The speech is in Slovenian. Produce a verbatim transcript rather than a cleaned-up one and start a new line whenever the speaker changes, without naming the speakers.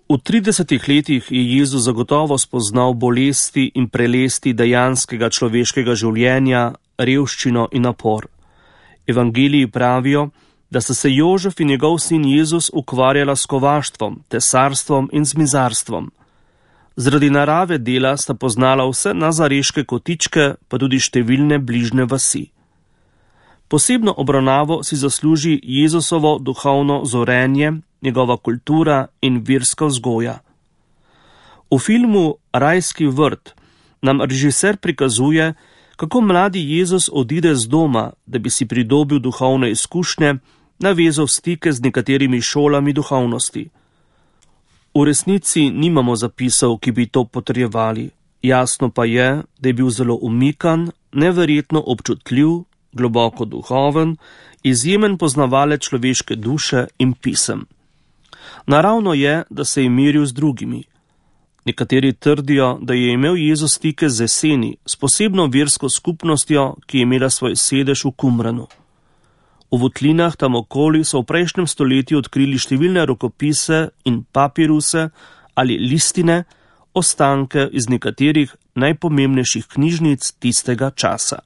V tridesetih letih je Jezus zagotovo spoznal bolesti in prelesti dejanskega človeškega življenja, revščino in napor. Evangeliji pravijo, da sta se Jožef in njegov sin Jezus ukvarjala s kovaštvom, tesarstvom in zmizarstvom. Zaradi narave dela sta poznala vse nazareške kotičke, pa tudi številne bližnje vasi. Posebno obravnavo si zasluži Jezusovo duhovno zorenje, njegova kultura in verska vzgoja. V filmu Rajski vrt nam režiser prikazuje, kako mladi Jezus odide z doma, da bi si pridobil duhovne izkušnje, navezal stike z nekaterimi šolami duhovnosti. V resnici nimamo zapisov, ki bi to potrjevali. Jasno pa je, da je bil zelo umikan, neverjetno občutljiv, globoko duhoven, izjemen poznavalec človeške duše in pisem. Naravno je, da se je miril z drugimi. Nekateri trdijo, da je imel Jezus stike z jeseni, s posebno versko skupnostjo, ki je imela svoj sedež v Kumranu. V votlinah tam okoli so v prejšnjem stoletju odkrili številne rokopise in papiruse ali listine, ostanke iz nekaterih najpomembnejših knjižnic tistega časa.